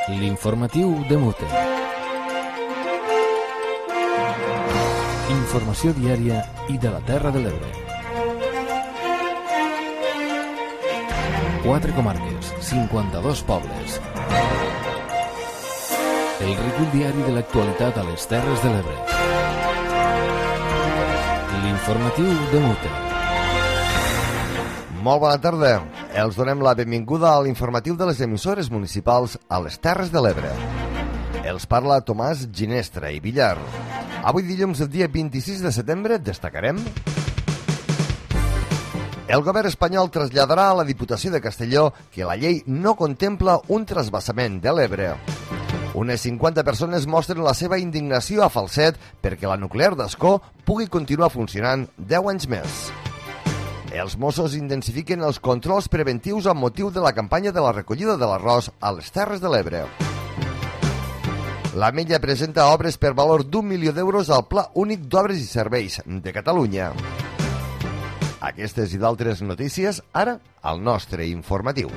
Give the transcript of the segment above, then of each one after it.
L'informatiu de Mute. Informació diària i de la Terra de l'Ebre. 4 comarques, 52 pobles. El recull diari de l'actualitat a les Terres de l'Ebre. L'informatiu de Mute. Molt bona tarda. Els donem la benvinguda a l'informatiu de les emissores municipals a les Terres de l'Ebre. Els parla Tomàs Ginestra i Villar. Avui dilluns, el dia 26 de setembre, destacarem: el govern espanyol traslladarà a la Diputació de Castelló que la llei no contempla un trasbassament de l'Ebre. Unes 50 persones mostren la seva indignació a Falset perquè la nuclear d'Ascó pugui continuar funcionant 10 anys més. Els Mossos intensifiquen els controls preventius amb motiu de la campanya de la recollida de l'arròs a les Terres de l'Ebre. L'Ametlla presenta obres per valor d'1 milió d'euros al Pla Únic d'Obres i Serveis de Catalunya. Aquestes i d'altres notícies, ara, al nostre informatiu.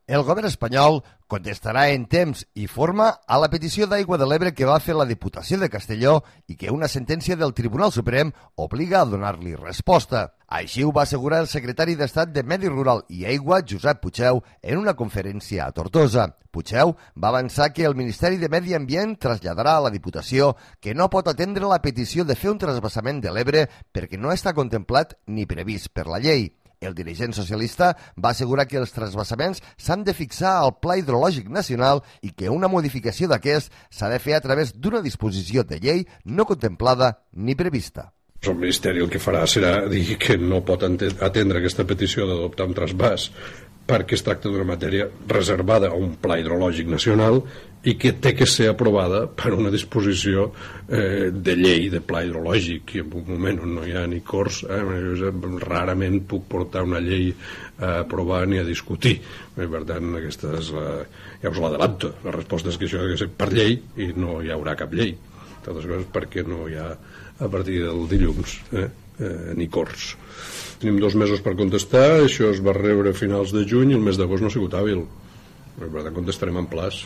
El govern espanyol contestarà en temps i forma a la petició d'aigua de l'Ebre que va fer la Diputació de Castelló i que una sentència del Tribunal Suprem obliga a donar-li resposta. Així ho va assegurar el secretari d'Estat de Medi Rural i Aigua, Josep Puigdeu, en una conferència a Tortosa. Puigdeu va avançar que el Ministeri de Medi Ambient traslladarà a la Diputació que no pot atendre la petició de fer un trasbassament de l'Ebre perquè no està contemplat ni previst per la llei. El dirigent socialista va assegurar que els trasbassaments s'han de fixar al Pla Hidrològic Nacional i que una modificació d'aquest s'ha de fer a través d'una disposició de llei no contemplada ni prevista. El Ministeri el que farà serà dir que no pot atendre aquesta petició d'adoptar un trasbàs perquè es tracta d'una matèria reservada a un Pla Hidrològic Nacional i que té que ser aprovada per una disposició de llei de Pla Hidrològic, i en un moment on no hi ha ni corts, rarament puc portar una llei a aprovar ni a discutir. Per tant, aquesta és ja us l'adelanto. La resposta és que això ha de ser per llei i no hi haurà cap llei. Totes coses perquè no hi ha a partir del dilluns ni corts. Tenim 2 mesos per contestar, això es va rebre a finals de juny i el mes d'agost no ha sigut hàbil. Per tant, contestarem en plaç.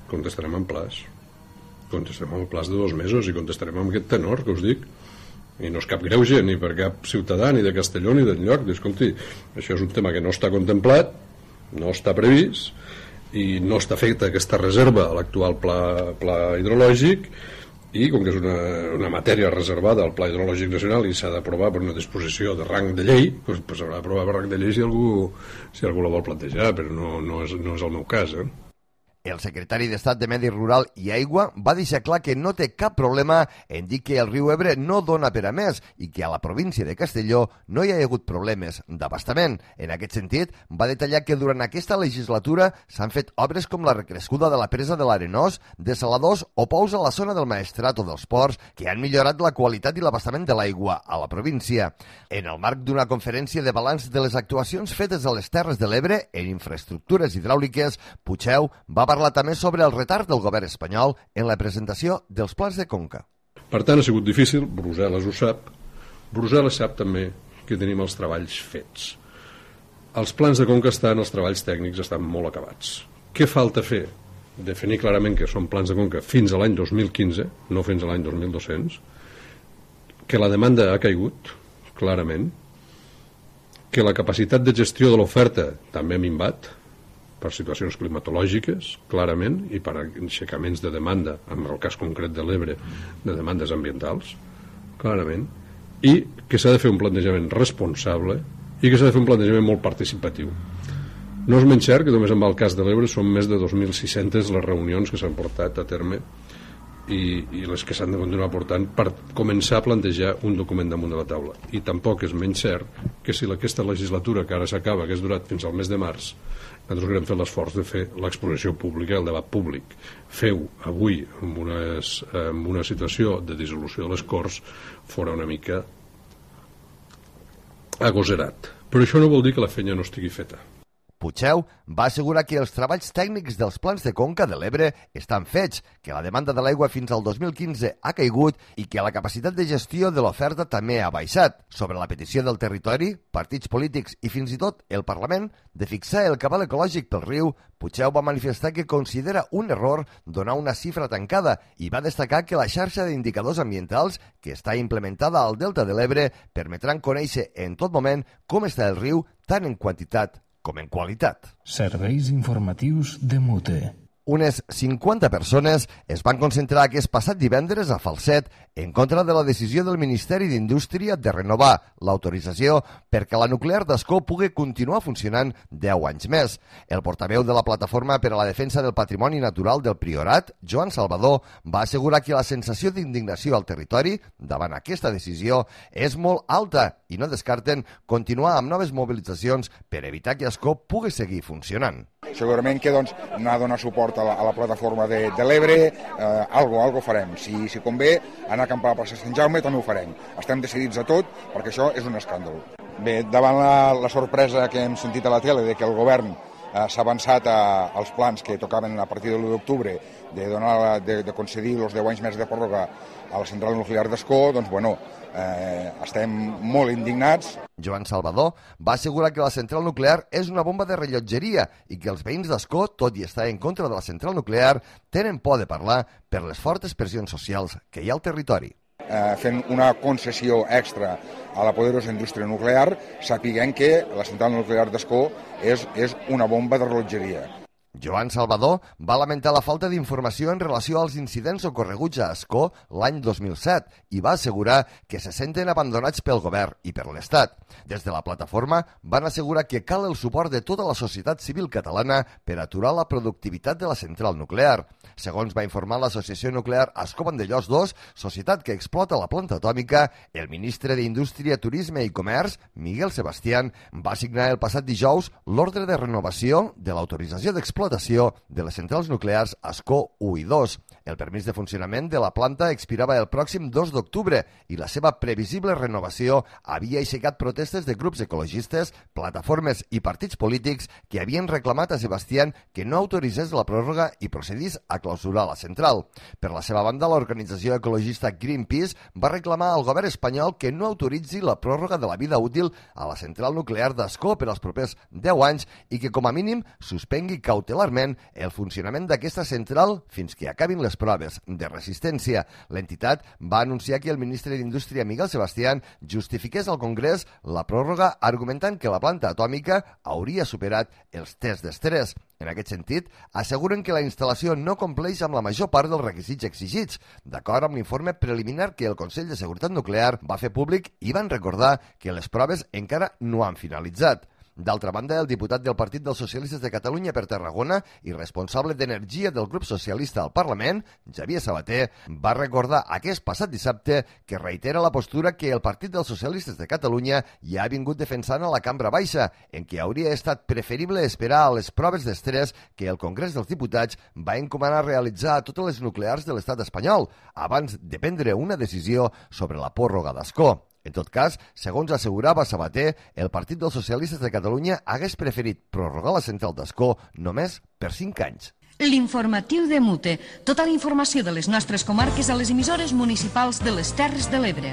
Contestarem en plaç de 2 mesos i contestarem amb aquest tenor que us dic. I no és cap greuge ni per cap ciutadà, ni de Castelló ni d'enlloc. Escolti, això és un tema que no està contemplat, no està previst i no està feta aquesta reserva a l'actual pla hidrològic, i com que és una matèria reservada al Pla Hidrològic Nacional i s'ha d'aprovar per una disposició de rang de llei, doncs s'haurà d'aprovar per rang de llei si algú la vol plantejar, però no és el meu cas. El secretari d'Estat de Medi Rural i Aigua va deixar clar que no té cap problema en dir que el riu Ebre no dona per a més i que a la província de Castelló no hi ha hagut problemes d'abastament. En aquest sentit, va detallar que durant aquesta legislatura s'han fet obres com la recrescuda de la presa de l'Arenós, dessaladors o pous a la zona del Maestrat o dels Ports que han millorat la qualitat i l'abastament de l'aigua a la província. En el marc d'una conferència de balanç de les actuacions fetes a les Terres de l'Ebre en infraestructures hidràuliques, Puigdeu va parlar també sobre el retard del govern espanyol en la presentació dels plans de conca. Per tant, ha sigut difícil, Brussel·les ho sap. Brussel·les sap també que tenim els treballs fets. Els plans de conca els treballs tècnics estan molt acabats. Què falta fer? Definir clarament que són plans de conca fins a l'any 2015, no fins a l'any 2200, que la demanda ha caigut, clarament, que la capacitat de gestió de l'oferta també ha minvat, per situacions climatològiques, clarament, i per aixecaments de demanda, en el cas concret de l'Ebre, de demandes ambientals, clarament, i que s'ha de fer un plantejament responsable i que s'ha de fer un plantejament molt participatiu. No és menys cert que només en el cas de l'Ebre són més de 2.600 les reunions que s'han portat a terme i les que s'han de continuar portant per començar a plantejar un document damunt de la taula. I tampoc és menys cert que si aquesta legislatura que ara s'acaba, que és durat fins al mes de març, nosaltres haurem fet l'esforç de fer l'exposició pública, el debat públic. Feu avui, en una situació de dissolució de les Corts, fora una mica agosarat. Però això no vol dir que la feina no estigui feta. Puigdemont va assegurar que els treballs tècnics dels plans de conca de l'Ebre estan fets, que la demanda de l'aigua fins al 2015 ha caigut i que la capacitat de gestió de l'oferta també ha baixat. Sobre la petició del territori, partits polítics i fins i tot el Parlament de fixar el cabal ecològic pel riu, Puigdemont va manifestar que considera un error donar una xifra tancada i va destacar que la xarxa d'indicadors ambientals que està implementada al Delta de l'Ebre permetran conèixer en tot moment com està el riu tant en quantitat com en qualitat. Serveis informatius de Mute. Unes 50 persones es van concentrar aquest passat divendres a Falset en contra de la decisió del Ministeri d'Indústria de renovar l'autorització perquè la nuclear d'Ascó pugui continuar funcionant 10 anys més. El portaveu de la Plataforma per a la Defensa del Patrimoni Natural del Priorat, Joan Salvador, va assegurar que la sensació d'indignació al territori davant aquesta decisió és molt alta i no descarten continuar amb noves mobilitzacions per evitar que Ascó pugui seguir funcionant. Segurament que anar a donar suport a la plataforma de l'Ebre, algo farem. Si convé, anar a acampar a la plaça Sant Jaume també ho farem. Estem decidits a tot perquè això és un escàndol. Bé, davant la sorpresa que hem sentit a la tele de que el govern s'ha avançat als plans que tocaven a partir de l'1 d'octubre de concedir els 10 anys més de pròrroga a la central nuclear d'Ascó, doncs bueno, estem molt indignats. Joan Salvador va assegurar que la central nuclear és una bomba de rellotgeria i que els veïns d'Ascó, tot i estar en contra de la central nuclear, tenen por de parlar per les fortes pressions socials que hi ha al territori. Fent una concessió extra a la poderosa indústria nuclear, sapiguem que la central nuclear d'Ascó és una bomba de rellotgeria. Joan Salvador va lamentar la falta d'informació en relació als incidents ocorreguts a Ascó l'any 2007 i va assegurar que se senten abandonats pel govern i per l'Estat. Des de la plataforma van assegurar que cal el suport de tota la societat civil catalana per aturar la productivitat de la central nuclear. Segons va informar l'Associació Nuclear Ascó Vandellòs II, societat que explota la planta atòmica, el ministre d'Indústria, Turisme i Comerç, Miguel Sebastián, va signar el passat dijous l'ordre de renovació de l'autorització d'explotació de les centrals nuclears Ascó 1 i 2. El permís de funcionament de la planta expirava el pròxim 2 d'octubre i la seva previsible renovació havia aixecat protestes de grups ecologistes, plataformes i partits polítics que havien reclamat a Sebastián que no autoritzés la pròrroga i procedís a clausurar la central. Per la seva banda, l'organització ecologista Greenpeace va reclamar al govern espanyol que no autoritzi la pròrroga de la vida útil a la central nuclear d'Ascó per als propers 10 anys i que, com a mínim, suspengui cautelarment el funcionament d'aquesta central fins que acabin les proves de resistència. L'entitat va anunciar que el ministre d'Indústria, Miguel Sebastián, justifiqués al Congrés la pròrroga argumentant que la planta atòmica hauria superat els tests d'estrès. En aquest sentit, asseguren que la instal·lació no compleix amb la major part dels requisits exigits, d'acord amb l'informe preliminar que el Consell de Seguretat Nuclear va fer públic i van recordar que les proves encara no han finalitzat. D'altra banda, el diputat del Partit dels Socialistes de Catalunya per Tarragona i responsable d'Energia del grup socialista al Parlament, Xavier Sabater, va recordar aquest passat dissabte que reitera la postura que el Partit dels Socialistes de Catalunya ja ha vingut defensant a la Cambra Baixa, en què hauria estat preferible esperar a les proves d'estrès que el Congrés dels Diputats va encomanar realitzar a totes les nuclears de l'estat espanyol, abans de prendre una decisió sobre la pròrroga d'Ascó. En tot cas, segons assegurava Sabater, el Partit dels Socialistes de Catalunya hagués preferit prorrogar la central d'Ascó només per 5 anys. L'informatiu de Mute. Tota la informació de les nostres comarques a les emissores municipals de les Terres de l'Ebre.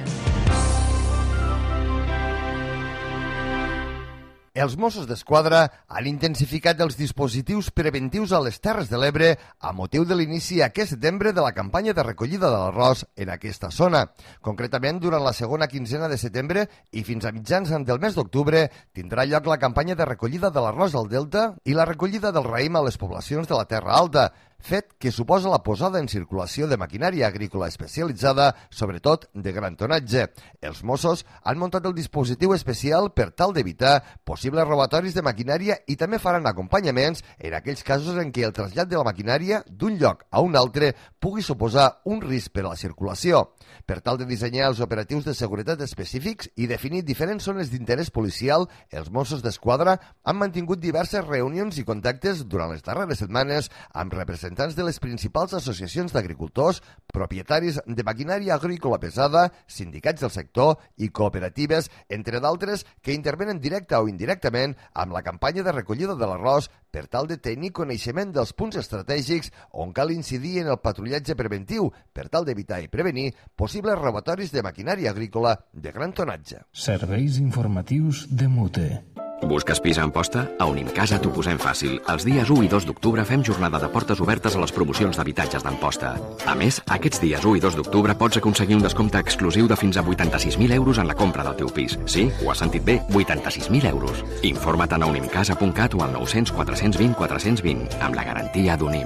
Els Mossos d'Esquadra han intensificat els dispositius preventius a les Terres de l'Ebre a motiu de l'inici aquest setembre de la campanya de recollida de l'arròs en aquesta zona. Concretament, durant la segona quinzena de setembre i fins a mitjans del mes d'octubre tindrà lloc la campanya de recollida de l'arròs al Delta i la recollida del raïm a les poblacions de la Terra Alta, fet que suposa la posada en circulació de maquinària agrícola especialitzada, sobretot de gran tonatge. Els Mossos han muntat el dispositiu especial per tal d'evitar possibles robatoris de maquinària i també faran acompanyaments en aquells casos en què el trasllat de la maquinària d'un lloc a un altre pugui suposar un risc per a la circulació. Per tal de dissenyar els operatius de seguretat específics i definir diferents zones d'interès policial, els Mossos d'Esquadra han mantingut diverses reunions i contactes durant les darreres setmanes amb representants representants de les principals associacions d'agricultors, propietaris de maquinària agrícola pesada, sindicats del sector i cooperatives, entre d'altres, que intervenen directa o indirectament amb la campanya de recollida de l'arròs per tal de tenir coneixement dels punts estratègics on cal incidir en el patrullatge preventiu per tal d'evitar i prevenir possibles robatoris de maquinària agrícola de gran tonatge. Serveis informatius de Mute. Busques pis a Amposta? A Unimcasa t'ho posem fàcil. Els dies 1 i 2 d'octubre fem jornada de portes obertes a les promocions d'habitatges d'Amposta. A més, aquests dies 1 i 2 d'octubre pots aconseguir un descompte exclusiu de fins a 86.000 euros en la compra del teu pis. Sí, ho has sentit bé, 86.000 euros. Informa't a unimcasa.cat o al 900 420 420, amb la garantia d'Unim.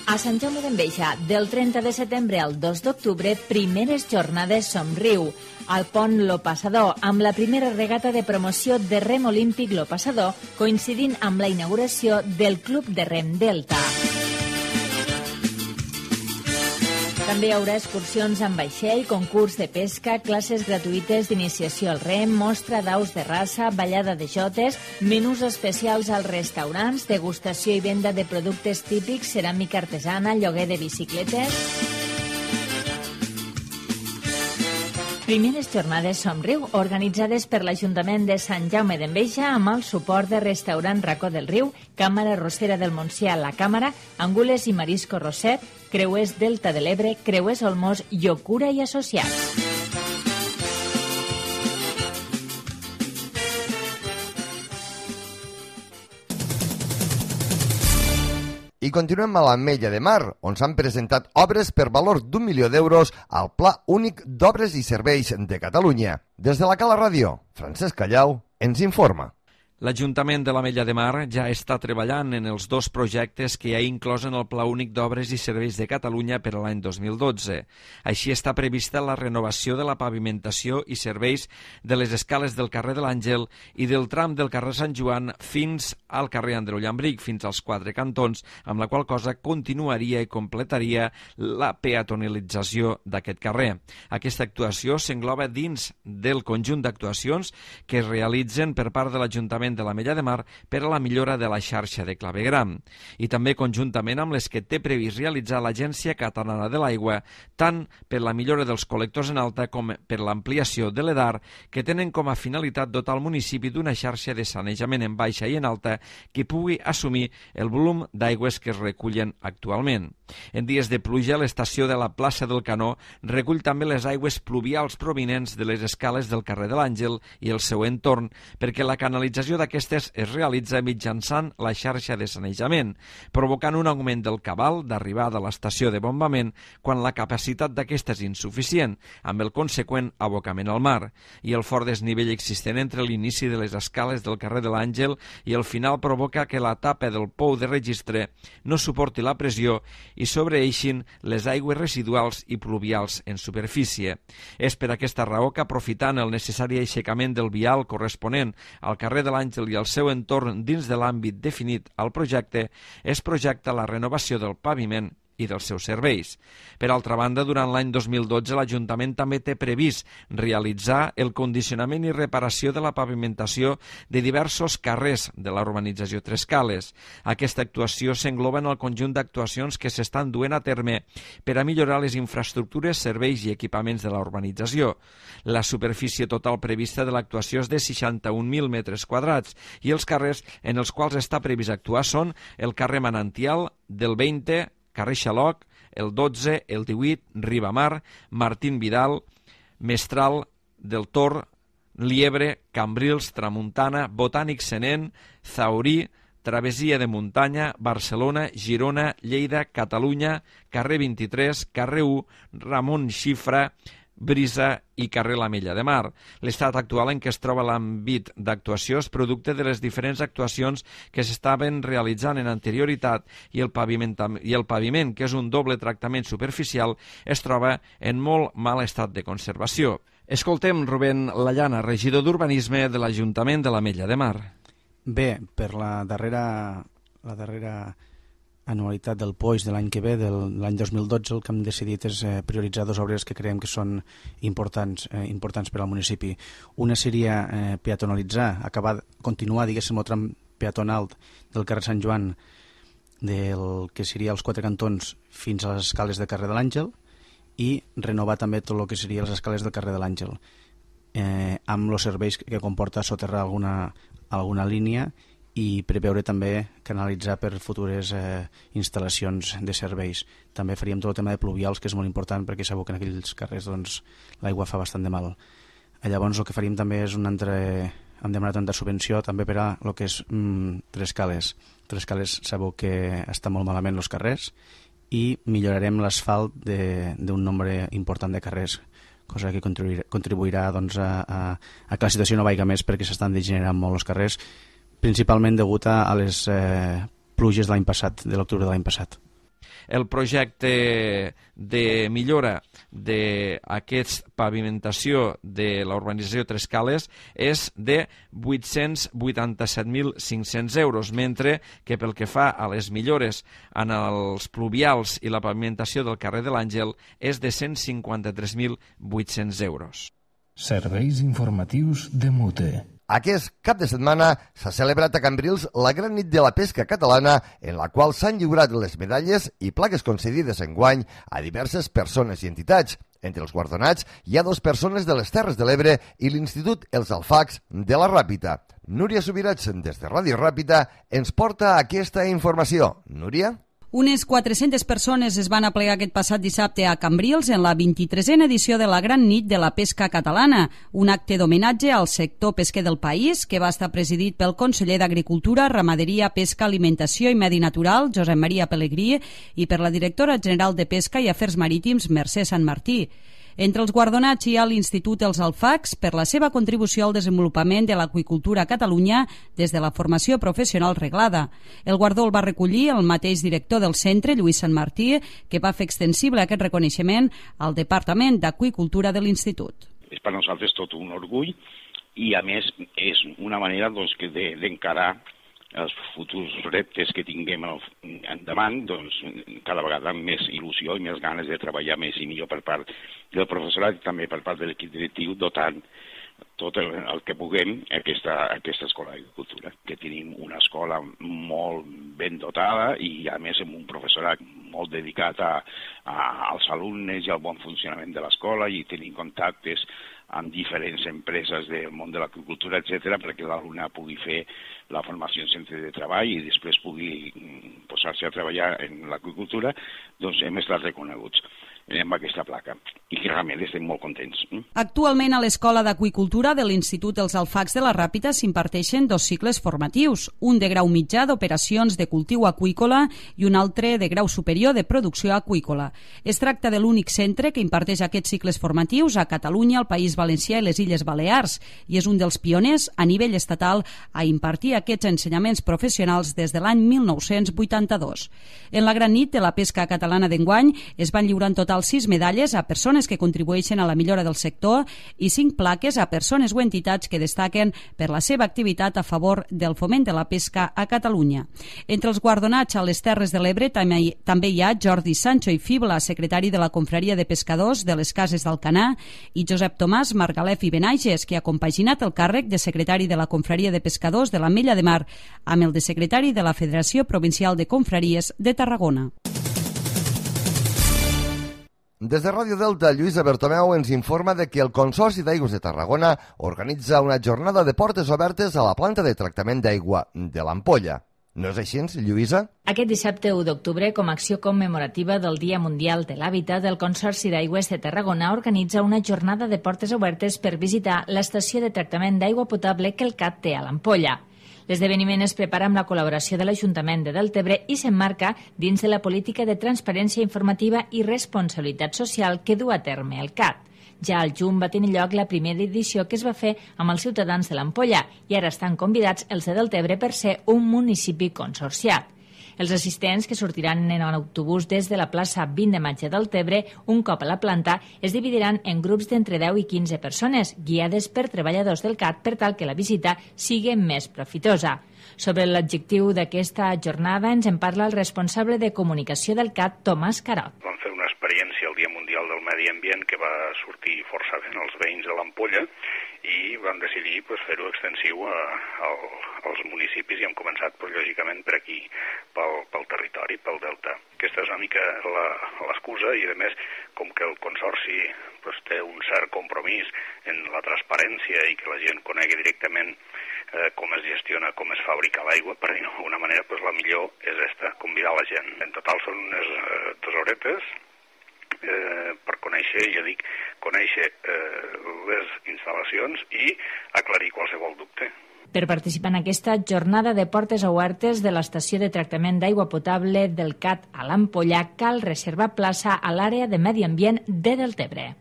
A Sant Jaume d'Enveja, del 30 de setembre al 2 d'octubre, primeres jornades Somriu, al pont Lo Passador, amb la primera regata de promoció de rem olímpic Lo Passador, coincidint amb la inauguració del Club de Rem Delta. També hi haurà excursions amb vaixell, concurs de pesca, classes gratuïtes d'iniciació al rem, mostra d'aus de raça, ballada de jotes, menús especials als restaurants, degustació i venda de productes típics, ceràmica artesana, lloguer de bicicletes. Primeres jornades Somriu, organitzades per l'Ajuntament de Sant Jaume d'Enveja amb el suport de Restaurant Racó del Riu, Càmera Rossera del Montsià, La Càmera, Angules i Marisco Roset, Creuers Delta de l'Ebre, Creuers Olmos, Llocura i Associats. I continuem a l'Ametlla de Mar, on s'han presentat obres per valor d'1 milió d'euros al Pla Únic d'Obres i Serveis de Catalunya. Des de la Cala Ràdio, Francesc Callau ens informa. L'Ajuntament de l'Ametlla de Mar ja està treballant en els dos projectes que hi ha inclòs en el Pla Únic d'Obres i Serveis de Catalunya per a l'any 2012. Així està prevista la renovació de la pavimentació i serveis de les escales del carrer de l'Àngel i del tram del carrer Sant Joan fins al carrer Andreu Llambric, fins als 4 cantons, amb la qual cosa continuaria i completaria la peatonalització d'aquest carrer. Aquesta actuació s'engloba dins del conjunt d'actuacions que es realitzen per part de l'Ajuntament de l'Ametlla de Mar per a la millora de la xarxa de clavegram i també conjuntament amb les que té previst realitzar l'Agència Catalana de l'Aigua, tant per la millora dels col·lectors en alta com per l'ampliació de l'EDAR, que tenen com a finalitat dotar el municipi d'una xarxa de sanejament en baixa i en alta que pugui assumir el volum d'aigües que es recullen actualment. En dies de pluja, l'estació de la plaça del Canó recull també les aigües pluvials provinents de les escales del carrer de l'Àngel i el seu entorn, perquè la canalització d'aquestes es realitza mitjançant la xarxa de sanejament, provocant un augment del cabal d'arribada a l'estació de bombament quan la capacitat d'aquesta és insuficient, amb el conseqüent abocament al mar, i el fort desnivell existent entre l'inici de les escales del carrer de l'Àngel i el final provoca que la tapa del pou de registre no suporti la pressió i sobreeixin les aigües residuals i pluvials en superfície. És per aquesta raó que, aprofitant el necessari aixecament del vial corresponent al carrer de l'Àngel i el seu entorn dins de l'àmbit definit al projecte, es projecta la renovació del paviment i dels seus serveis. Per altra banda, durant l'any 2012 l'Ajuntament també té previst realitzar el condicionament i reparació de la pavimentació de diversos carrers de la urbanització Tres Cales. Aquesta actuació s'engloba en el conjunt d'actuacions que s'estan duent a terme per a millorar les infraestructures, serveis i equipaments de la urbanització. La superfície total prevista de l'actuació és de 61.000 metres quadrats i els carrers en els quals està previst actuar són el carrer Manantial, del 20, carrer Xaloc, el 12, el 18, Ribamar, Martín Vidal, Mestral, del Tor, Liebre, Cambrils, Tramuntana, Botànic Senent, Zaurí, Travessia de Muntanya, Barcelona, Girona, Lleida, Catalunya, carrer 23, carrer 1, Ramon Xifra, Brisa i carrer l'Ametlla de Mar. L'estat actual en què es troba l'àmbit d'actuació és producte de les diferents actuacions que s'estaven realitzant en anterioritat i el paviment, que és un doble tractament superficial, es troba en molt mal estat de conservació. Escoltem Rubén Lallana, regidor d'Urbanisme de l'Ajuntament de l'Ametlla de Mar. Bé, per la darrera anualitat del POIS de l'any que ve, de l'any 2012, el que hem decidit és prioritzar dues obres que creiem que són importants per al municipi. Una seria peatonalitzar, continuar, diguéssim, el tram peatonal del carrer Sant Joan, del que seria els 4 cantons fins a les escales del carrer de l'Àngel, i renovar també tot el que seria les escales del carrer de l'Àngel, amb els serveis que comporta soterrar alguna línia i preveure també canalitzar per futures instal·lacions de serveis. També faríem tot el tema de pluvials, que és molt important perquè sabeu que en aquells carrers l'aigua fa bastant de mal. Llavors el que faríem també és hem demanat una subvenció també per a el que és Trescales. Trescales sabeu que està molt malament els carrers i millorarem l'asfalt d'un nombre important de carrers, cosa que contribuirà a que la situació no vaiga més perquè s'estan degenerant molt els carrers, principalment degut a les pluges de l'any passat, de l'octubre de l'any passat. El projecte de millora d'aquesta pavimentació de la urbanització Trescales és de 887.500 euros, mentre que pel que fa a les millores en els pluvials i la pavimentació del carrer de l'Àngel és de 153.800 euros. Serveis informatius de MUTE. Aquest cap de setmana s'ha celebrat a Cambrils la Gran Nit de la Pesca Catalana, en la qual s'han lliurat les medalles i plaques concedides enguany a diverses persones i entitats. Entre els guardonats hi ha 2 persones de les Terres de l'Ebre i l'Institut Els Alfacs de la Ràpita. Núria Subirats, des de Ràdio Ràpita, ens porta aquesta informació. Núria? Unes 400 persones es van aplegar aquest passat dissabte a Cambrils en la 23a edició de la Gran Nit de la Pesca Catalana, un acte d'homenatge al sector pesquer del país que va estar presidit pel conseller d'Agricultura, Ramaderia, Pesca, Alimentació i Medi Natural, Josep Maria Pelegrí, i per la directora general de Pesca i Afers Marítims, Mercè Sant Martí. Entre els guardonats hi ha l'Institut Els Alfacs per la seva contribució al desenvolupament de l'aqüicultura a Catalunya des de la formació professional reglada. El guardó el va recollir el mateix director del centre, Lluís Sant Martí, que va fer extensible aquest reconeixement al Departament d'Aqüicultura de l'Institut. És per nosaltres tot un orgull i, a més, és una manera d'encarar els futurs reptes que tinguem endavant, cada vegada amb més il·lusió i més ganes de treballar més i millor per part del professorat i també per part de l'equip directiu, dotant tot el que puguem aquesta escola d'agricultura, que tenim una escola molt ben dotada i a més amb un professorat molt dedicat als alumnes i al bon funcionament de l'escola i tenim contactes amb diferents empreses del món de l'agricultura, etc., perquè l'alumne pugui fer la formació en centre de treball i després pugui posar-se a treballar en l'agricultura, doncs hem estat reconeguts amb aquesta placa i que realment estem molt contents. Actualment a l'Escola d'Aqüicultura de l'Institut Els Alfacs de la Ràpita s'imparteixen 2 cicles formatius, un de grau mitjà d'operacions de cultiu aqüícola i un altre de grau superior de producció aqüícola. Es tracta de l'únic centre que imparteix aquests cicles formatius a Catalunya, al País Valencià i les Illes Balears i és un dels pioners a nivell estatal a impartir aquests ensenyaments professionals des de l'any 1982. En la Gran Nit de la Pesca Catalana d'enguany es van lliurar en total 6 medalles a persones que contribueixen a la millora del sector i 5 plaques a persones o entitats que destaquen per la seva activitat a favor del foment de la pesca a Catalunya. Entre els guardonats a les Terres de l'Ebre també hi ha Jordi Sancho i Fibla, secretari de la Confraria de Pescadors de les Cases d'Alcanar, i Josep Tomàs Margalef i Benages, que ha compaginat el càrrec de secretari de la Confraria de Pescadors de l'Ametlla de Mar amb el de secretari de la Federació Provincial de Confraries de Tarragona. Des de Ràdio Delta, Lluïsa Bertomeu ens informa de que el Consorci d'Aigües de Tarragona organitza una jornada de portes obertes a la planta de tractament d'aigua de l'Ampolla. No és així, Lluïsa? Aquest dissabte 1 d'octubre, com a acció commemorativa del Dia Mundial de l'Hàbitat, el Consorci d'Aigües de Tarragona organitza una jornada de portes obertes per visitar l'estació de tractament d'aigua potable que el CAT té a l'Ampolla. L'esdeveniment es prepara amb la col·laboració de l'Ajuntament de Deltebre i s'emmarca dins de la política de transparència informativa i responsabilitat social que du a terme el CAT. Ja al juny va tenir lloc la primera edició que es va fer amb els ciutadans de l'Ampolla i ara estan convidats els de Deltebre per ser un municipi consorciat. Els assistents, que sortiran en autobús des de la plaça 20 de Maig de Deltebre, un cop a la planta, es dividiran en grups d'entre 10 i 15 persones, guiades per treballadors del CAT per tal que la visita sigui més profitosa. Sobre l'objectiu d'aquesta jornada ens en parla el responsable de comunicació del CAT, Tomàs Carot. Vam fer unes experiència el Dia Mundial del Medi Ambient, que va sortir força ben als veïns de l'Ampolla, i vam decidir fer-ho extensiu als municipis, i hem començat, lògicament, per aquí, pel territori, pel delta. Aquesta és una mica l'excusa, i a més, com que el Consorci té un cert compromís en la transparència i que la gent conegui directament com es gestiona, com es fabrica l'aigua, per dir-ho d'alguna manera, la millor és convidar la gent. En total són unes 2 horetes per conèixer, ja dic, conèixer les instal·lacions i aclarir qualsevol dubte. Per participar en aquesta jornada de portes obertes de l'estació de tractament d'aigua potable del CAT a l'Ampolla, cal reservar plaça a l'àrea de medi ambient de Deltebre.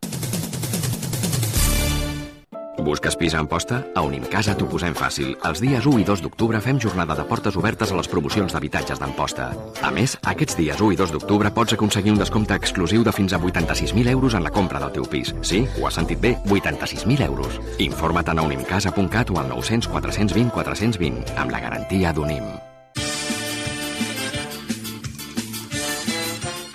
Busques pis a Amposta? A Unimcasa t'ho posem fàcil. Els dies 1 i 2 d'octubre fem jornada de portes obertes a les promocions d'habitatges d'Amposta. A més, aquests dies 1 i 2 d'octubre pots aconseguir un descompte exclusiu de fins a 86.000 euros en la compra del teu pis. Sí, ho has sentit bé, 86.000 euros. Informa't a unimcasa.cat o al 900 420 420, amb la garantia d'Unim.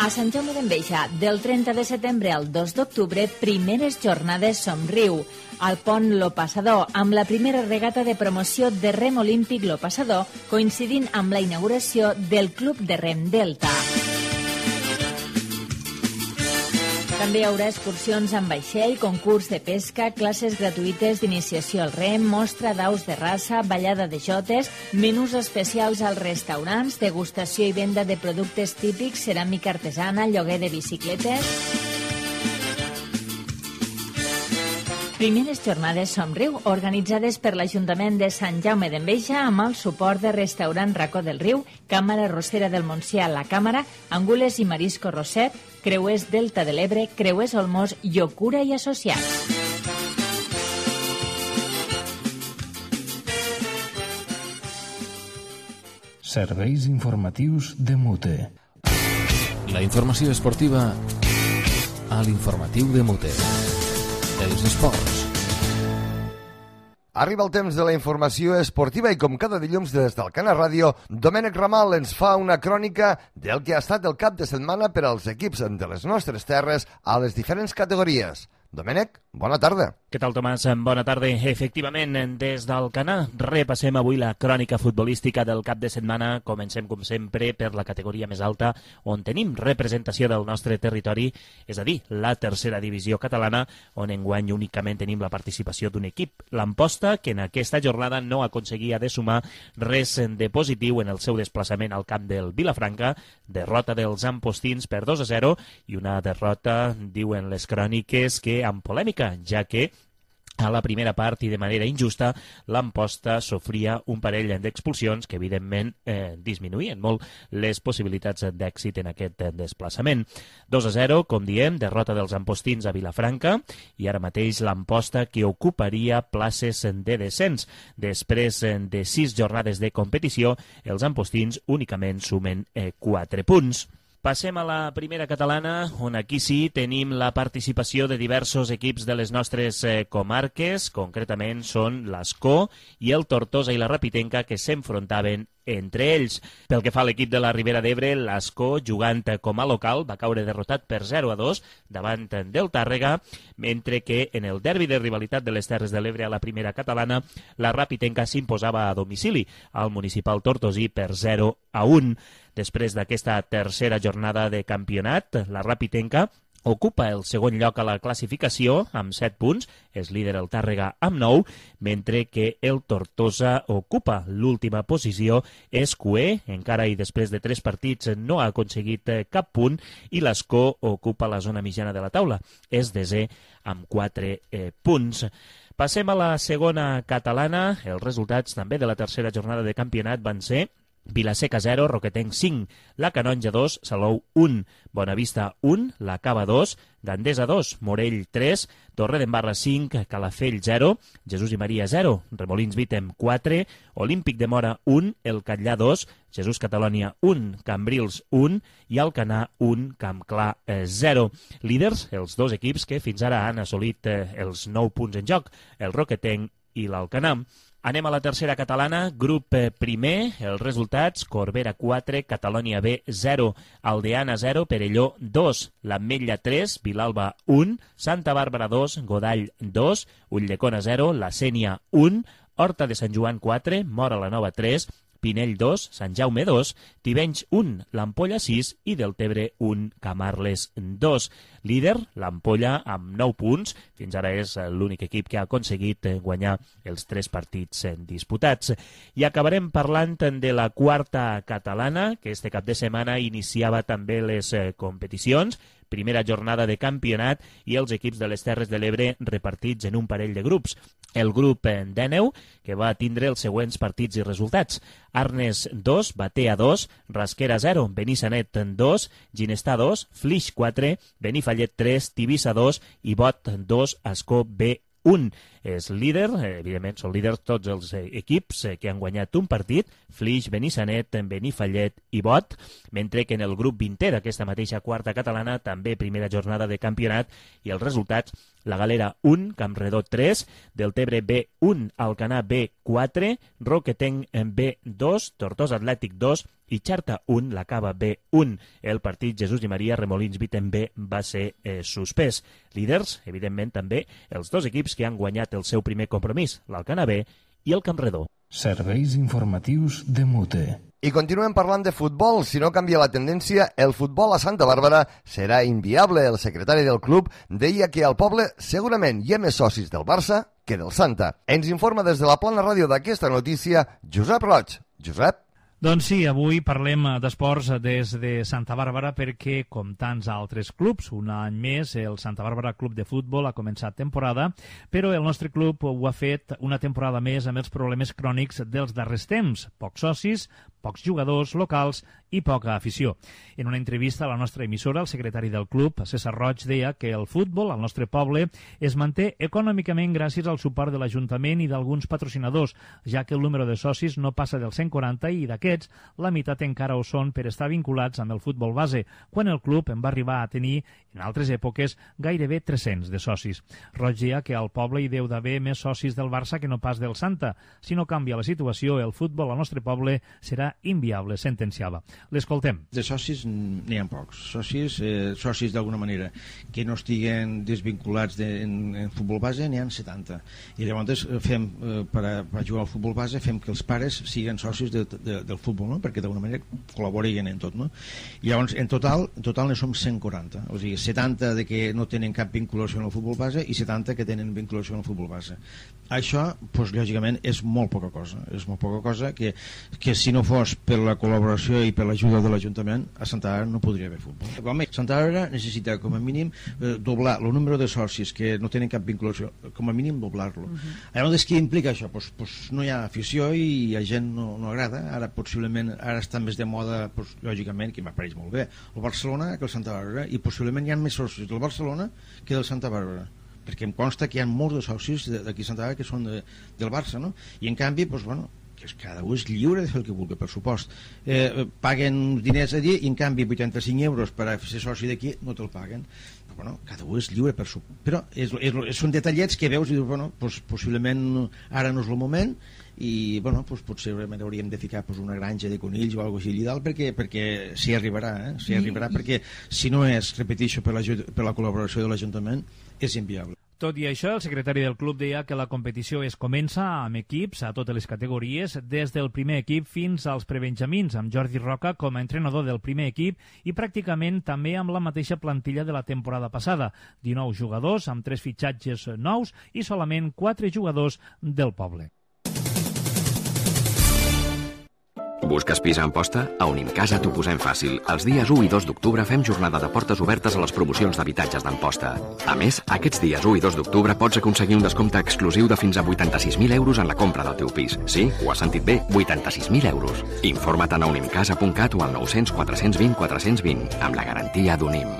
A Sant Jaume d'Enveja, del 30 de setembre al 2 d'octubre, primeres jornades Somriu. Al pont Lo Passador, amb la primera regata de promoció de rem olímpic Lo Passador, coincidint amb la inauguració del Club de Rem Delta. També hi haurà excursions amb vaixell, concurs de pesca, classes gratuïtes d'iniciació al rem, mostra d'aus de raça, ballada de jotes, menús especials als restaurants, degustació i venda de productes típics, ceràmica artesana, lloguer de bicicletes. Primeres jornades Somriu, organitzades per l'Ajuntament de Sant Jaume d'Enveja amb el suport de Restaurant Racó del Riu, Càmara Rossera del Montsià, La Càmara, Angules i Marisco Roset, Creuers Delta de l'Ebre, Creuers Olmos, Llocura i Associats. Serveis informatius de Mute. La informació esportiva a l'informatiu de Mute. Els esports. Arriba el temps de la informació esportiva i com cada dilluns des del Cana Ràdio, Domènec Ramal ens fa una crònica del que ha estat el cap de setmana per als equips de les nostres terres a les diferents categories. Domènec, bona tarda. Què tal, Tomàs? Bona tarda. Efectivament, des del Canà repassem avui la crònica futbolística del cap de setmana. Comencem, com sempre, per la categoria més alta, on tenim representació del nostre territori, és a dir, la tercera divisió catalana, on enguany únicament tenim la participació d'un equip, l'Amposta, que en aquesta jornada no aconseguia de sumar res de positiu en el seu desplaçament al camp del Vilafranca, derrota dels ampostins per 2-0 i una derrota, diuen les cròniques, que amb polèmica, ja que a la primera part i de manera injusta l'Amposta sofria un parell d'expulsions que evidentment disminuïen molt les possibilitats d'èxit en aquest desplaçament. 2-0, com diem, derrota dels ampostins a Vilafranca i ara mateix l'Amposta que ocuparia places de descens. Després de 6 jornades de competició, els ampostins únicament sumen 4 punts. Passem a la primera catalana, on aquí sí tenim la participació de diversos equips de les nostres comarques, concretament són l'Escó i el Tortosa i la Rapitenca, que s'enfrontaven entre ells. Pel que fa a l'equip de la Ribera d'Ebre, l'Escó, jugant com a local, va caure derrotat per 0-2 davant del Tàrrega, mentre que en el derbi de rivalitat de les Terres de l'Ebre a la primera catalana, la Rapitenca s'imposava a domicili al municipal tortosí per 0-1. Després d'aquesta tercera jornada de campionat, la Rapitenca ocupa el segon lloc a la classificació amb 7 punts, és líder el Tàrrega amb 9, mentre que el Tortosa ocupa l'última posició, és cuer, encara i després de 3 partits no ha aconseguit cap punt, i l'Escó ocupa la zona mitjana de la taula, és desè amb 4 punts. Passem a la segona catalana. Els resultats també de la tercera jornada de campionat van ser Vilaseca 0, Roquetenc 5, La Canonja 2, Salou 1, Bonavista 1, La Cava 2, Gandesa 2, Morell 3, Torredembarra 5, Calafell 0, Jesús i Maria 0, Remolins Vítem 4, Olímpic de Mora 1, El Catllà 2, Jesús Catalònia 1, Cambrils 1 i Alcanar 1, Campclar 0. Líders, els dos equips que fins ara han assolit els 9 punts en joc, el Roquetenc i l'Alcanar. Anem a la tercera catalana, grup primer, els resultats: Corbera 4, Catalònia B 0, Aldeana 0, Perelló 2, l'Ametlla 3, Vilalba 1, Santa Bàrbara 2, Godall 2, Ulldecona 0, la Sénia 1, Horta de Sant Joan 4, Móra la Nova 3, Pinell 2, Sant Jaume 2, Tivenys 1, l'Ampolla 6 i Deltebre 1, Camarles 2. Líder, l'Ampolla, amb 9 punts. Fins ara és l'únic equip que ha aconseguit guanyar els 3 partits disputats. I acabarem parlant de la quarta catalana, que este cap de setmana iniciava també les competicions. Primera jornada de campionat i els equips de les Terres de l'Ebre repartits en un parell de grups. El grup d'Èneu, que va tindre els següents partits i resultats: Arnes 2, Batea 2, Rasquera 0, Benissanet 2, Ginestar 2, Flix 4, Benifallet 3, Tivissa 2 i Bot 2, Ascó B 1. És líder, evidentment són líders tots els equips que han guanyat un partit: Flix, Benissanet, Benifallet i Bot, mentre que en el grup 20è d'aquesta mateixa quarta catalana, també primera jornada de campionat, i els resultats: la Galera 1, Campredó 3, Deltebre B 1, Alcanar B 4, Roquetenc B 2, Tortosa Atlètic 2 i Xarta 1, la Cava B 1. El partit Jesús i Maria Remolins Viten B va ser suspès. Líders, evidentment, també els dos equips que han guanyat el seu primer compromís, l'Alcanar B i el Campredó. Serveis informatius de Mute. I continuem parlant de futbol. Si no canvia la tendència, el futbol a Santa Bàrbara serà inviable. El secretari del club deia que al poble segurament hi ha més socis del Barça que del Santa. Ens informa des de la plana ràdio d'aquesta notícia Josep Roig. Josep? Doncs sí, avui parlem d'esports des de Santa Bàrbara perquè, com tants altres clubs, un any més el Santa Bàrbara Club de Futbol ha començat temporada, però el nostre club ho ha fet una temporada més amb els problemes crònics dels darrers temps: pocs socis, pocs jugadors locals i poca afició. En una entrevista a la nostra emissora, el secretari del club, César Roig, deia que el futbol al nostre poble es manté econòmicament gràcies al suport de l'Ajuntament i d'alguns patrocinadors, ja que el número de socis no passa dels 140 i d'aquests la meitat encara ho són per estar vinculats amb el futbol base, quan el club en va arribar a tenir, en altres èpoques, gairebé 300 de socis. Roig deia que al poble hi deu d'haver més socis del Barça que no pas del Santa. Si no canvia la situació, el futbol al nostre poble serà inviable, sentenciava. L'escoltem. De socis n'hi ha pocs. Socis d'alguna manera que no estiguen desvinculats en futbol base n'hi ha 70. I llavors fem, per jugar al futbol base, fem que els pares siguin socis del futbol, no? Perquè d'alguna manera col·laborin en tot, no? I llavors, en total ne som 140. O sigui, 70 de que no tenen cap vinculació en el futbol base i 70 que tenen vinculació en el futbol base. Això, doncs, lògicament, és molt poca cosa. És molt poca cosa que si no fos per la col·laboració i per l'ajuda de l'Ajuntament, a Santa Bàrbara no podria haver futbol. Santa Bàrbara necessita, com a mínim, doblar el número de socis que no tenen cap vinculació, com a mínim doblar-lo. Llavors, què implica això? Doncs no hi ha afició i a gent no agrada. Ara, possiblement, està més de moda, lògicament, que m'apareix molt bé, el Barcelona que el Santa Bàrbara, i possiblement hi ha més socis del Barcelona que del Santa Bàrbara, perquè em consta que hi ha molts de socis d'aquí a Santa Bàrbara que són del Barça, no? I en canvi, doncs, bueno, que cada un és lliure de fer el que vulgui, per supost. Paguen diners allí i en canvi 85 euros per a ser soci d'aquí no te'l paguen. Però, bueno, cada un és lliure, però són detallets que veus i dius, bueno, possiblement ara no és el moment i, bueno, potser hauríem de ficar una granja de conills o alguna cosa així dalt perquè s'hi arribarà, s'hi arribarà, perquè si no és, repeteixo, per la col·laboració de l'Ajuntament, és inviable. Tot i això, el secretari del club deia que la competició es comença amb equips a totes les categories, des del primer equip fins als prebenjamins, amb Jordi Roca com a entrenador del primer equip i pràcticament també amb la mateixa plantilla de la temporada passada, 19 jugadors amb 3 fitxatges nous i solament 4 jugadors del poble. Busques pis a Amposta? A Unimcasa t'ho posem fàcil. Els dies 1 i 2 d'octubre fem jornada de portes obertes a les promocions d'habitatges d'Amposta. A més, aquests dies 1 i 2 d'octubre pots aconseguir un descompte exclusiu de fins a 86.000 euros en la compra del teu pis. Sí, ho has sentit bé, 86.000 euros. Informa't a unimcasa.cat o al 900 420 420, amb la garantia d'Unim.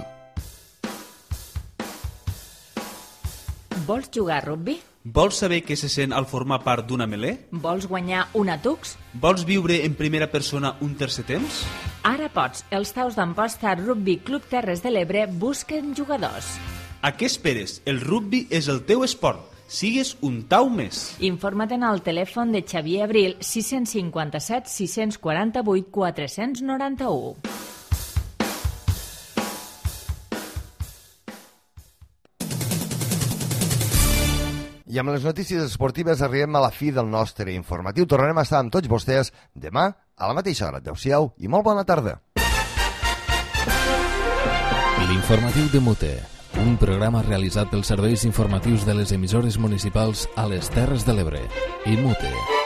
Vols jugar a rugbi? Vols saber què se sent al formar part d'una melé? Vols guanyar una Tux? Vols viure en primera persona un tercer temps? Ara pots. Els Taus d'Amposta Rugby Club Terres de l'Ebre busquen jugadors. A què esperes? El rugbi és el teu esport. sigues un tau més. Informa't en el telèfon de Xavier Abril 657 648 491. I amb les notícies esportives arribem a la fi del nostre informatiu. Tornarem a estar amb tots vostès demà a la mateixa hora. Adéu-siau i molt bona tarda. L'informatiu de Mute, un programa realitzat pels serveis informatius de les emissores municipals a les Terres de l'Ebre i Mute.